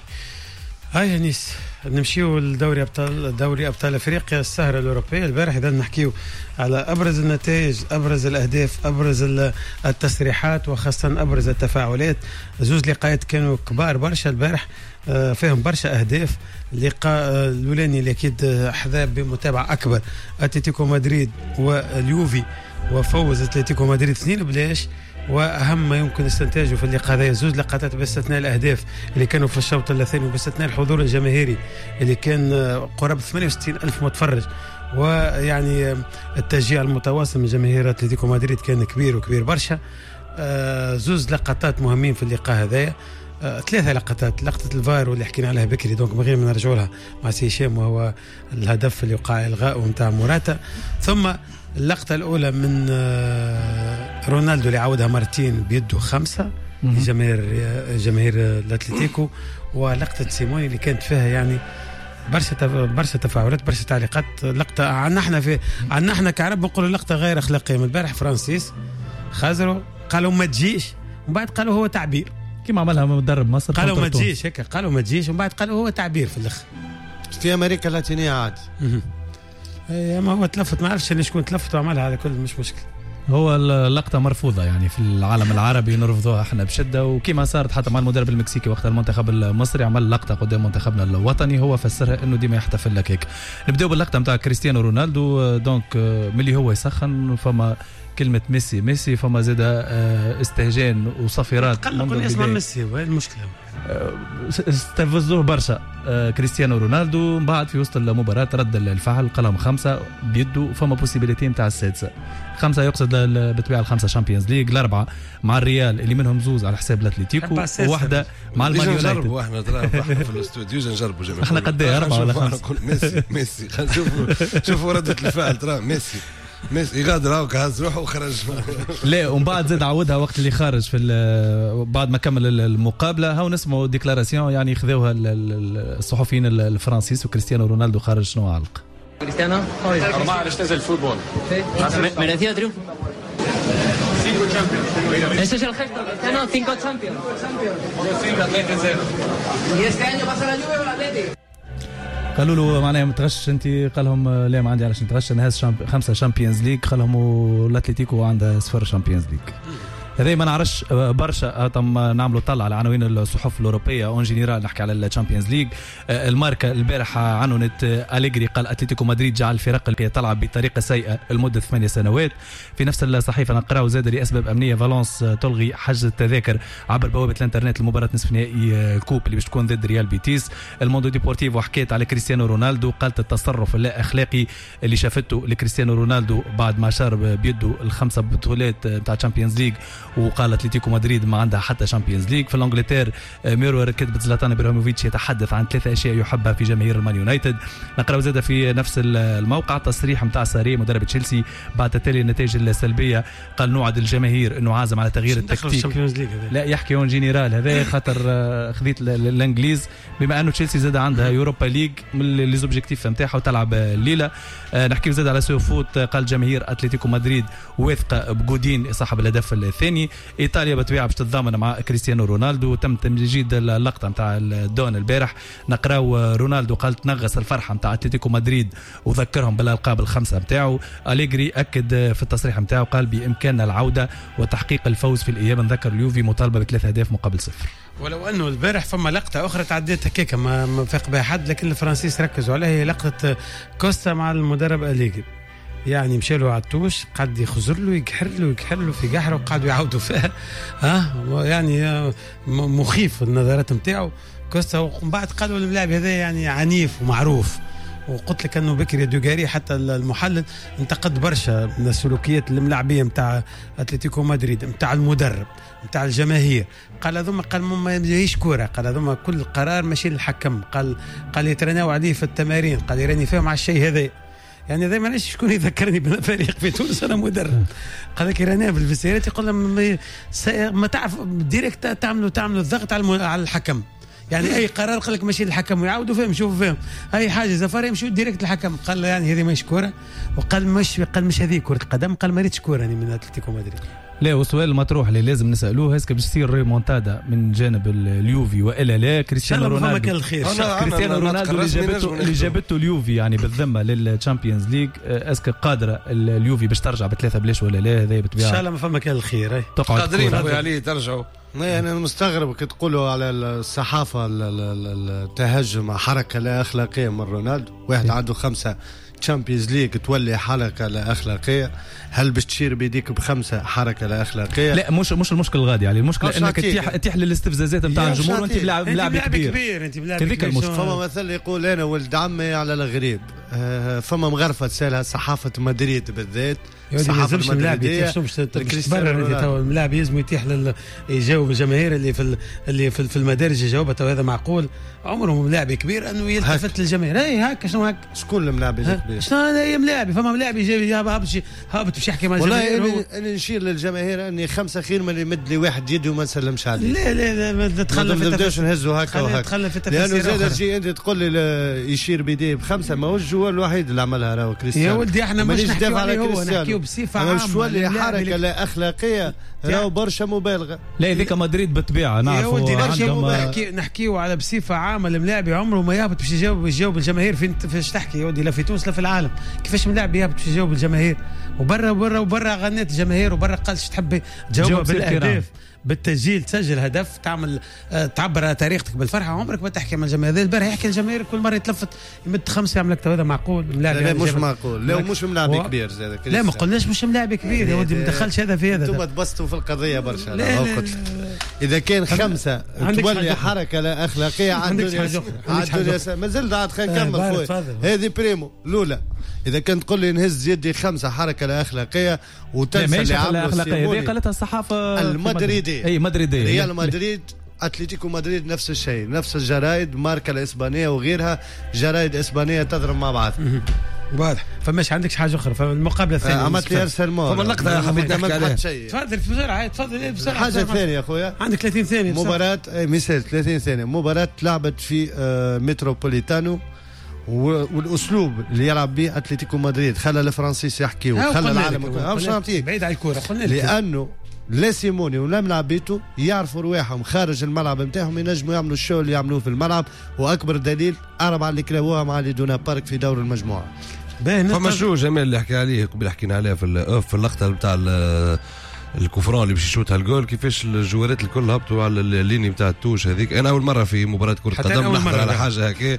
هاي نيس نمشيو لدوري ابطال دوري ابطال افريقيا السهرة الاوروبية البارح. اذا نحكيو على ابرز النتائج، ابرز الاهداف، ابرز التصريحات، وخاصة ابرز التفاعلات. زوز لقاءات كانوا كبار برشا البارح، فيهم برشا اهداف. اللقاء الاولاني اللي اكيد حظى بمتابعة اكبر، اتلتيكو مدريد واليوفي، وفوز اتلتيكو مدريد اثنين بلاش. واهم ما يمكن استنتاجه في اللقاء هذا زوج لقطات باستثناء الاهداف اللي كانوا في الشوط الثاني، وباستثناء الحضور الجماهيري اللي كان قرابة ثمانية وستين ألف متفرج، ويعني التشجيع المتواصل من جماهير اتلتيكو مدريد كان كبير وكبير برشا. زوج لقطات مهمين في اللقاء هذايا، ثلاثة لقطات، لقطة الفار واللي حكينا عليها بكري donc من غير ما نرجعوا لها مع سي هشام، وهو الهدف اللي وقع الغاءه نتاع موراتا، ثم اللقطة الأولى من رونالدو اللي عاودها مرتين بيده خمسة لجماهير جماهير الأتلتيكو، ولقطة سيموني اللي كانت فيها يعني برشا برشا تفاعلات برشا تعليقات. لقطة عنا احنا في عنا احنا كعرب نقولوا لقطة غير أخلاقية. من البارح فرانسيس خزروا قالوا ما تجيش، ومن بعد قالوا هو تعبير كما عملها مدرب مصر، قالوا ما تجيش هيك، قالوا ما تجيش ومن بعد قالوا هو تعبير في الأخ. في أمريكا اللاتينية عادي. اي ما هو تلفت، ما عرفش شكون تلفت وعملها، هذا كله مش مشكل. هو اللقطة مرفوضة يعني في العالم العربي، نرفضوها احنا بشده، وكما صارت حتى مع المدرب المكسيكي وقت المنتخب المصري عمل لقطة قدام منتخبنا الوطني، هو فسرها انه ديما يحتفل لك هيك. نبداو باللقطه نتاع كريستيانو رونالدو، donc ملي هو يسخن فما كلمة ميسي ميسي، فما زاد استهجان وصفيرات. قلقوا اسمه ميسي، وين المشكلة؟ استفزوه برشا كريستيانو رونالدو. من بعد في وسط المباراة رد الفعل، قلم خمسة بيده، فما possibilité نتاع السادسة. خمسة يقصد بالطبيعة الخمسة Champions League، الأربعة مع الريال اللي منهم زوز على حساب الأتليتيكو، وواحدة مع المان يونايتد. نجربوا احنا احنا في الاستوديو نجربوا جميع. احنا قد ايه أربعة ولا خمسة؟ ميسي ميسي نشوفوا شوفوا ردة الفعل، ترى ميسي ميسي يغادر هاك هز روحه وخرج. لا ومن بعد زاد عودها وقت اللي خارج في بعد ما كمل المقابلة، هاو نسمعوا déclaration يعني خذوها الصحفيين الفرنسيس، وكريستيانو رونالدو خارج شنو علق؟ كريستيانو normal, este es el fútbol. Merecido triunfo. Cinco Champions. Ese es el gesto, Cristiano, cinco Champions. Cinco. ¿Y este año pasa la Juve o el Atleti? قالوا له معناها متغش انت، قال لهم لا ما عندي علاش نتغش، انا هاز champ... خمسة Champions League، قال لهم الاتليتيكو عندها صفر Champions League. هذا ما نعرفش برشا، تم نعملوا طلع على عناوين الصحف الاوروبية en général، نحكي على ال Champions League. الماركة البارحة عنونت أليجري، قال اتلتيكو مدريد جعل الفرق اللي تلعب بطريقة سيئه لمدة ثمانية سنوات. في نفس الصحيفة نقراو زاد لاسباب امنية فالونس تلغي حجز التذاكر عبر بوابه الانترنت لمباراة نصف نهائي ال coupe اللي باش تكون ضد ريال بيتيس. الموندو ديبورتيفو حكيت على كريستيانو رونالدو، قالت التصرف اللا اخلاقي اللي شافته لكريستيانو رونالدو بعد ما شارب بيده الخمسة بطولات نتاع Champions League، وقال اتلتيكو مدريد ما عندها حتى Champions League. في الانجلتير ميرور كتبت زلاتان ابراهيموفيتش يتحدث عن ثلاثة اشياء يحبها في جماهير المان يونايتد. نقراو زاد في نفس الموقع تصريح نتاع ساري مدرب تشيلسي بعد تتالي النتائج السلبية، قال نوعد الجماهير انه عازم على تغيير التكتيك. لا يحكي en général هذا خاطر خذيت الانجليز، بما انه تشيلسي زاد عندها Europa League من les objectifs نتاعها وتلعب الليلة. نحكي زاد على سوفوت، قال جماهير اتلتيكو مدريد واثقة بجودين صاحب الهدف الثاني. ايطاليا بالطبيعة باش تتضامن مع كريستيانو رونالدو، تم تمجيد اللقطة نتاع الدون البارح. نقراو رونالدو قال تنغص الفرحة نتاع اتلتيكو مدريد وذكرهم بالالقاب الخمسة نتاعو. أليجري اكد في التصريح نتاعو قال بامكاننا العودة وتحقيق الفوز في الاياب. نذكر اليوفي مطالبه بثلاث اهداف مقابل صفر. ولو انه البارح فما لقطة اخرى تعديت هكاك ما ما فاق بها حد، لكن الفرنسيس ركزوا عليها، هي لقطة كوستا مع المدرب أليجري. يعني مشى له على ال touche، قعد يخزر له يقحر له يقحر له في قحره وقعدوا يعاودوا فيها، ها يعني مخيف النظرات نتاعو كوستا. ومن بعد قالوا الملاعب هذا يعني عنيف ومعروف، وقلت لك انه بكري دوغاري حتى المحلل انتقد برشا من السلوكيات الملاعبيه نتاع اتلتيكو مدريد، نتاع المدرب، نتاع الجماهير. قال هذوما، قال ما يجيش كورة، قال هذوما كل قرار ماشي للحكم، قال قال يترناو عليه في التمارين، قال يراني فيهم على الشيء هذا. يعني هذا ما علاش شكون يذكرني بالفريق في تونس، انا مدرب. قال لك رانا في الفسيرات يقول لهم ما تعرف direct تعملوا تعملوا الضغط على على الحكم، يعني اي قرار قال لك ماشي للحكم ويعاودوا فيهم شوفوا فيهم اي حاجة زفار يمشوا direct للحكم. قال يعني هذه ماهيش كورة، وقال مش قال مش هذه كره قدم، قال ما ريتش كورة يعني من اتلتيكو مدريد. لا، والسؤال المطروح اللي لازم نسالوه، est-ce que باش تصير ريمونتادا من جانب اليوفي والا لا؟ كريستيانو رونالدو، كريستيانو رونالدو اللي جابته اللي جابته اليوفي يعني بالذمه لل Champions League، est-ce que قادرة اليوفي باش ترجع بثلاثة بلاش ولا لا؟ هذا بالطبيعة ان شاء الله ما فما كان الخير. قادرين خويا علي ترجعوا. انا مستغرب كي تقولوا على الصحافة التهجم حركة لا اخلاقية من رونالدو، واحد عنده خمسة Champions League تولي حركة لا اخلاقية. هل باش تشير بيديك بخمسة حركة لا اخلاقية؟ لا، مش مش المشكل الغادي يعني، المشكلة انك تتيح تتيح للاستفزازات نتاع الجمهور وانت بلاعب لاعب كبير. كبير انت بلاعب كبير. فما مثل يقول انا ولد عمي على الغريب. فما مغرفه تسالها صحافة مدريد بالذات، الصحافة المدريديه كريستيانو الملاعب يلزم يتيح لل... يجاوب الجماهير اللي في ال... اللي في, في المدارج يجاوبها. تو هذا معقول؟ عمره ملاعب كبير انه يلتفت للجماهير. اي هكا شنو هكا شكون الملاعب الكبير؟ شنو هذا ملاعب؟ فما ملاعب يجي هابط هابط باش يحكي مع الجماهير. والله انا نشير للجماهير اني خمسة خير من اللي يمد لي واحد يدي وما نسلمش عليه. لا لا لا تخلف، ما نبداوش نهزوا هكا وهكا، لانه زاد تجي انت تقول لي يشير بيديه بخمسة ماهوش joueur هو الوحيد اللي عملها راهو كريستيانو. يا ولدي احنا مش نحكيو عليه هو، نحكيو بصفة عامة. مش تولي حركة لا اخلاقية راهو برشا مبالغه. لا هذيك مدريد بالطبيعة نعرفوا عندهم. نحكي نحكيو على بصفة عامة، الملاعب عمره ما يهبط باش يجاوب يجاوب الجماهير. فين فاش تحكي يا ولدي؟ لا في تونس لا في العالم. كيفاش ملاعب يهبط باش يجاوب الجماهير؟ وبرا وبرا وبرا غنيت الجماهير وبرا قالش تحب تجاوب بالاهداف بالتسجيل، تسجل هدف تعمل تعبر على طريقتك بالفرحه. عمرك ما تحكي مع الجماهير. البارح يحكي الجماهير كل مرة يتلفت يمد خمسة يعمل لك. هذا معقول؟ ملاعب لا مش معقول. لا مش ملاعب كبير زاد. لا ما قلناش مش ملاعب كبير يا ولدي، ما دخلش هذا في هذا. انتم تبسطوا في القضية برشا. لا لا اذا كان خمسة تولي حركة لا اخلاقية عندك حاجة مازال عاد خلينا نكمل خويا. هذه primo الاولى. اذا كان تقول لي نهز يدي خمسة حركة لا اخلاقية وتنسى اللي عملوا الاخلاقية هذه قالتها الصحافة المدريديه. اي مدريديه، ريال مدريد، اتلتيكو مدريد، نفس الشيء، نفس الجرايد، ماركا الاسبانية وغيرها، جرايد اسبانية تضرب مع بعض. واضح. فماش عندكش حاجة اخرى؟ فالمقابله الثانية عملت لي ارسل مور فما اللقطة حبيت نحكي عليها. تفضل بسرعة، تفضل بسرعة. حاجة ثانية خويا، عندك ثلاثين ثانية. مباراة مثال ثلاثين ثانية، مباراة لعبت في متروبوليتانو، والاسلوب اللي يلعب به اتلتيكو مدريد خلى الفرنسيس يحكي وخلى العالم مش بعيد على الكره. قلنا لانه لا سيموني ولا ملعبيته يعرفوا رواحهم خارج الملعب نتاعهم، ينجموا يعملوا ال show اللي يعملوه في الملعب. واكبر دليل اربعة اللي كلاوها مع ليدونا بارك في دور المجموعة. فما شو جمال اللي حكى عليه قبل، حكينا عليه في في اللقطة نتاع ال coup franc اللي باش يشوتها الجول، كيفاش الجوارات الكل هبطوا على ال ligne نتاع ال touche هذيك. انا اول مرة في مباراة كره قدم نحضر على حاجة هكا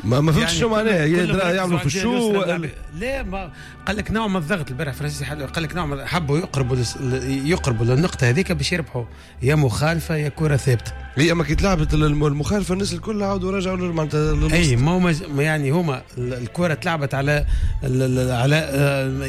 ما ما فهمتش شو معناها يعملوا في ال show. لا ما قال لك نوع من الضغط البارح فرنسي، قال لك نوع من حبوا يقربوا يقربوا للنقطة هذيك باش يربحوا، يا مخالفة يا كره ثابتة. هي اما كي تلعبت المخالفة الناس الكل عاودوا رجعوا معناتها. اي ما هما يعني هما الكره تلعبت على على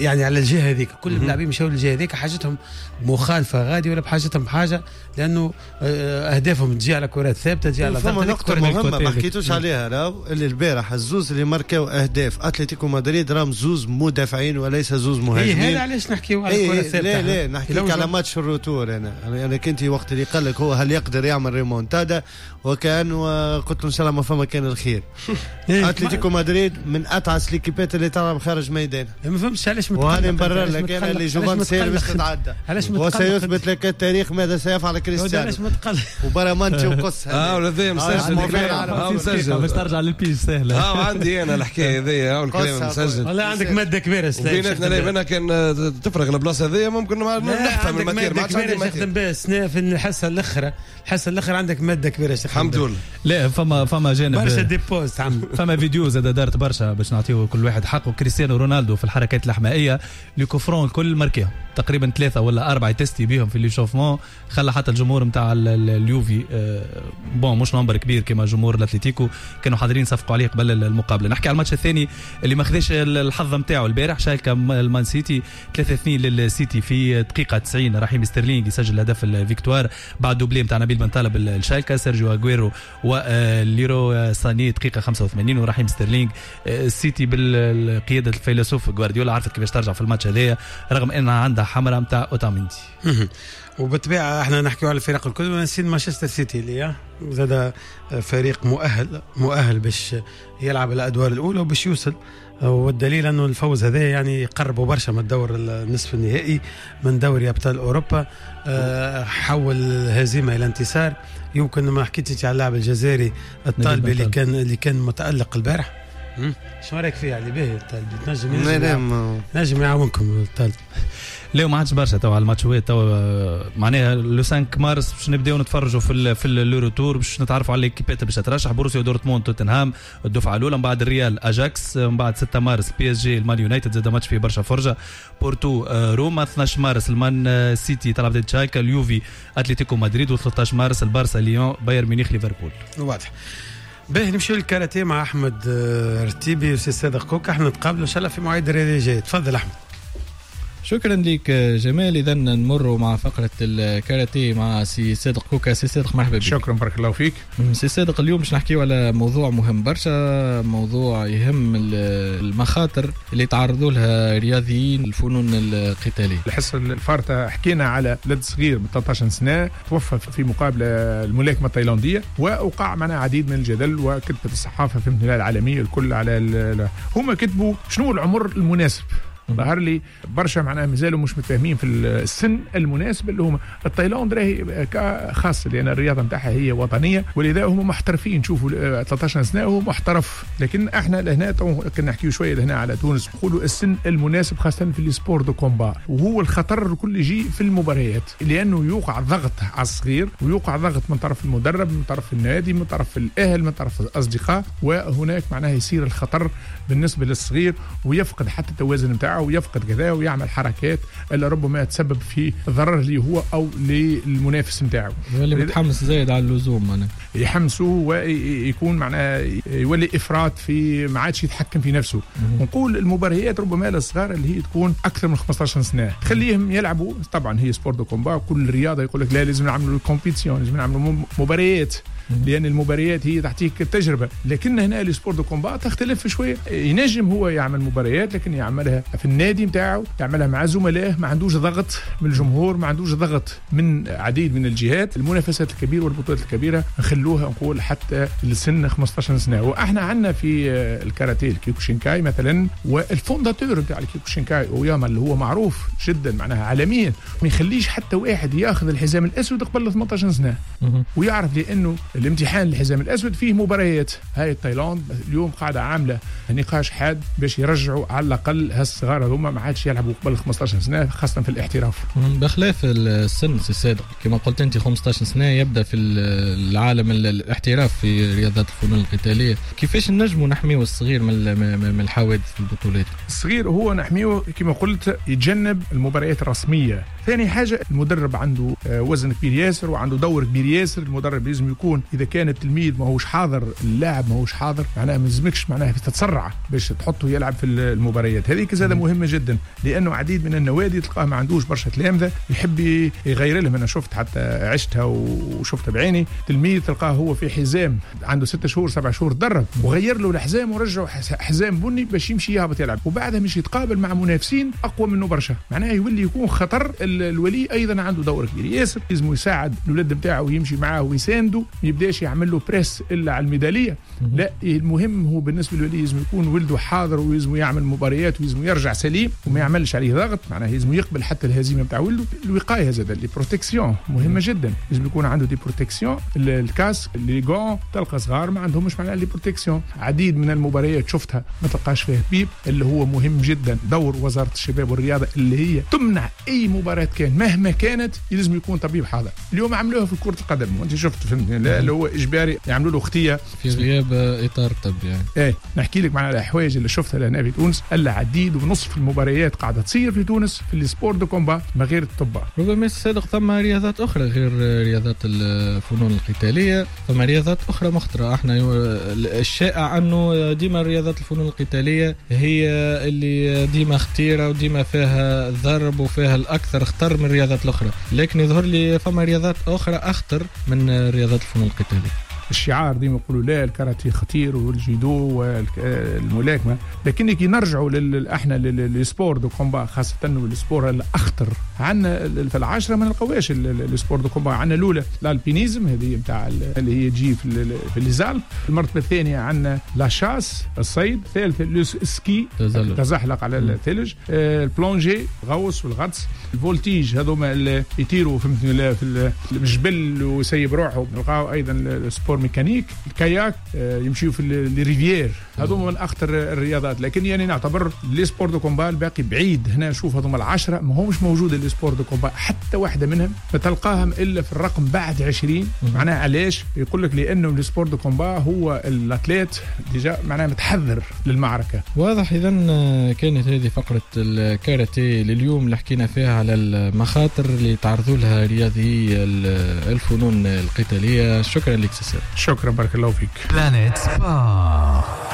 يعني على الجهة هذيك، كل اللاعبين مشاو للجهة هذيك، حاجتهم مخالفة غادي ولا بحاجتهم بحاجة، لانه اهدافهم تجي على كرات ثابتة، تجي على ضغط. نقطة مهمة ما حكيتوش عليها راهو، اللي البارح الزوز اللي ماركاو اهداف اتلتيكو مدريد راهم زوز مدافعين وليس زوز مهاجمين. اي هذا علاش نحكيو على الكره الثابتة. لا لا نحكيك على ماتش ال retour. انا انا كنت وقت اللي قال لك هو هل يقدر يعمل ريمونتادا، وكانه قلت له ان شاء الله ما فما كان الخير. اتلتيكو مدريد من اتعس ليكيبات اللي تلعب خارج ميدانها. ما فهمتش علاش متقلق. وهاني نبرر لك انا اللي جوفان سير باش تتعدى، وسيثبت لك التاريخ ماذا سيفعل كريستيانو. وبرامانتي وقص اه ولا ذي مسجل اه مسجل باش ترجع للبيج سهلة. اه عندي انا الحكاية هذيا والكلام مسجل. والله عندك مادة كبيرة بيناتنا لا كان تفرغ البلاصة هذيا ممكن نحفظ من ال matière. ما عادش عندي matière نخدم بها السنة في الحصة الاخرى، الحصة الاخرى عندك مادة كبيرة. الحمد لله. لا فما فما جانب برشا des pauses عم فما فيديو زاد دارت برشا باش نعطيه كل واحد حقه. كريستيانو رونالدو في الحركات الاحمائيه les coups francs الكل ماركيهم تقريبا ثلاثة ولا اربعة تستي بيهم في l'échauffement، خلى حتى الجمهور نتاع اليوفي bon مش nombre كبير كما جمهور الاتليتيكو كانوا حاضرين صفقوا عليه قبل المقابلة. نحكي على الماتش الثاني اللي ما خذاش الحظ نتاعو البارح، شالكه المان سيتي ثلاثة اثنين للسيتي في دقيقة تسعين. رحيم ستيرلينغ يسجل هدف ال victoire بعد doublé نتاع نبيل بن طالب الشالكه، سيرجيو اغويرو وليرو ساني دقيقة خمسة وثمانين ورحيم ستيرلينغ. السيتي بالقيادة الفيلسوف غوارديولا عرفت كيفاش ترجع في الماتش هذايا رغم انها عندها حمراء نتاع اوتاميندي. وبالطبيعه احنا نحكيو على الفرق الكل ونسين مانشستر سيتي اللي زاد فريق مؤهل مؤهل باش يلعب الادوار الاولى وباش يوصل، والدليل انه الفوز هذا يعني يقربوا برشا من الدور النصف النهائي من دوري ابطال اوروبا. حول الهزيمة الى انتصار. يمكن ما حكيتش على اللاعب الجزائري الطالبي اللي كان اللي كان متالق البارح. شنو رايك فيه علي باهي الطالبي؟ تنجم ينجم نجم يعاونكم الطالب. لا ما عادش برشا تو على الماتشوات تو، معناها le خمسة مارس باش نبداو نتفرجوا في ال في le retour باش نتعرفوا على ليكيبات باش ترشح. بروسيا دورتموند توتنهام الدفعة الاولى، من بعد الريال اجاكس، من بعد ستة مارس بي اس جي المان يونايتد زاد ماتش فيه برشا فرجه، بورتو روما، اثناش مارس المان سيتي تلعب ضد شالكا، اليوفي اتلتيكو مدريد، وثلاثة عشر مارس البارسا ليون بايرن ميونخ ليفربول. واضح. باهي نمشيو للكاراتيه مع احمد رتيبي وسي صادق كوكا. احنا نتقابلوا ان شاء الله في مواعيد الرياضية الجاية. تفضل احمد. شكرا لك جمال. اذا نمر مع فقره الكاراتيه مع سي صادق كوكا. سي صادق مرحبا بك. شكرا بارك الله فيك. سي صادق، اليوم باش نحكيو على موضوع مهم برشا، موضوع يهم المخاطر اللي تعرضوا لها رياضيين الفنون القتالية. الحصة الفارطه حكينا على ولد صغير من ثلاثة عشر سنة توفى في مقابله الملاكمة التايلانديه، ووقع معنا عديد من الجدل وكتبت الصحافة في العالمية الكل على هما كتبوا شنو العمر المناسب. ظهر لي برشا معناها مازالوا مش متفاهمين في السن المناسب اللي هما التايلاند راهي خاصة لان الرياضة نتاعها هي وطنية، ولذا هما محترفين. شوفوا ثلاثة عشر سنة هو محترف، لكن احنا لهنا كنا نحكيو شوية لهنا على تونس، نقولوا السن المناسب خاصة في les sports de combat، وهو الخطر الكل يجي في المباريات، لانه يوقع ضغط على الصغير ويوقع ضغط من طرف المدرب، من طرف النادي، من طرف الاهل، من طرف الاصدقاء، وهناك معناها يصير الخطر بالنسبة للصغير ويفقد حتى التوازن نتاعو ويفقد كذا ويعمل حركات اللي ربما تسبب في ضرر ليه هو او للمنافس نتاعو. اللي متحمس زايد على اللزوم معناها يحمسوه ويكون معناها يولي افراط في ما عادش يتحكم في نفسه. ونقول المباريات ربما للصغار اللي هي تكون اكثر من خمسة عشر سنة خليهم يلعبوا. طبعا هي sport de combat، كل رياضة يقول لك لا لازم نعملوا compétition، لازم نعملوا مباريات، لان المباريات هي تعطيك التجربة. لكن هنا ال sport de combat تختلف شوية، ينجم هو يعمل مباريات لكن يعملها في النادي نتاعو، يعملها مع زملائه، ما عندوش ضغط من الجمهور، ما عندوش ضغط من عديد من الجهات. المنافسات الكبيرة والبطولات الكبيرة نخلوها نقول حتى لسن خمسة عشر سنة. واحنا عندنا في الكاراتيه الكيوكوشينكاي مثلا، وال fondateur نتاع الكيوكوشينكاي اوياما اللي هو معروف جدا معناها عالميا، ما يخليش حتى واحد ياخذ الحزام الاسود قبل ثمانية عشر سنة، ويعرف لانه الامتحان الحزام الاسود فيه مباريات. هاي التايلاند اليوم قاعدة عامله نقاش حاد باش يرجعوا على الاقل هالصغار هذوما ما عادش يلعبوا قبل خمسة عشر سنة خاصة في الاحتراف. بخلاف السن سي صادق كما قلت انت خمسة عشر سنة يبدا في العالم الاحتراف في رياضات الفنون القتالية، كيفاش نجموا نحميو الصغير من من الحوادث في البطولات؟ الصغير هو نحمية كما قلت يتجنب المباريات الرسمية. ثاني حاجة المدرب عنده وزن كبير ياسر وعنده دور كبير ياسر. المدرب لازم يكون اذا كان التلميذ ماهوش حاضر، اللاعب ماهوش حاضر، معناها ما لازمكش معناها تتسرع باش تحطه يلعب في المباريات هذيك. زاد مهمة جدا لانه عديد من النوادي تلقاه ما عندوش برشا تلامذه يحب يغير لهم. انا شفت حتى عشتها وشفتها بعيني، تلميذ تلقاه هو في حزام عنده ستة شهور سبع شهور تدرب وغير له الحزام ورجعه حزام بني باش يمشي يهبط يلعب، وبعدها مش يتقابل مع منافسين اقوى منه برشا، معناها يولي يكون خطر. الولي ايضا عنده دور كبير ياسر، لازم يساعد الولد نتاعو ويمشي معاه ويسانده، ما يبداش يعمل له presse الا على الميداليه. لا، المهم هو بالنسبة للولي لازم يكون ولده حاضر ولازم يعمل مباريات ولازم يرجع سليم وما يعملش عليه ضغط، معناها لازم يقبل حتى الهزيمة نتاع ولده. الوقاية زاد les protections مهمة جدا، لازم يكون عنده des protections، ال casque، les gants. تلقى صغار ما عندهمش معناها les protections. عديد من المباريات شفتها ما تلقاش فيها طبيب، اللي هو مهم جدا دور وزارة الشباب والرياضة اللي هي تمنع اي مباراة كان مهما كانت لازم يكون طبيب حاضر. اليوم عملوها في كره القدم وانت شفت فهمتني، لا اللي هو اجباري يعملوا له خطيه في غياب اطار طبي يعني. ايه نحكي لك معنا الحوايج اللي شفتها لهنا في تونس، العديد ونصف المباريات قاعدة تصير في تونس في ال sports de combat من غير الطب. ربما صادق ثم رياضات اخرى غير رياضات الفنون القتالية، ثم رياضات اخرى مخطره. احنا الشائع انه ديما رياضات الفنون القتالية هي اللي ديما خطيرة وديما فيها ضرب وفيها الاكثر خطر من الرياضات الاخرى، لكن يظهر لي فما رياضات اخرى اخطر من رياضات الفنون القتالية. الشعار ديما يقولوا لا الكاراتيه خطير والجيدو والملاكمه، لكن كي نرجعوا احنا لل sports de combat خاصة وال sport الاخطر عندنا في العشرة ما نلقاوش ال sports de combat. عندنا الاولى l'alpinisme هذه نتاع اللي هي تجي في في les Alpes، المرتبة الثانية عندنا la chasse الصيد، الثالث ال ski التزحلق على الثلج، ال plongée غوص والغطس، ال voltige هذوما اللي يطيروا فهمتني في الجبل ويسيب روحه، نلقاو ايضا ال sport mécanique، الكاياك يمشيو في les rivières، هذوما من اخطر الرياضات. لكن يعني نعتبر les sports de combat الباقي بعيد. هنا نشوف هذوما العشرة ما همش موجودة les sports de combat حتى واحدة منهم ما تلقاهم الا في الرقم بعد عشرين. معناها علاش؟ يقول لك لانه les sports de combat هو l'athlète déjà معناها متحذر للمعركة. واضح. اذا كانت هذه فقره الكاراتيه لليوم اللي حكينا فيها على المخاطر اللي تعرضوا لها رياضي الفنون القتالية. شكرا لك سيسير. شكرا بارك الله فيك. Planète Sport.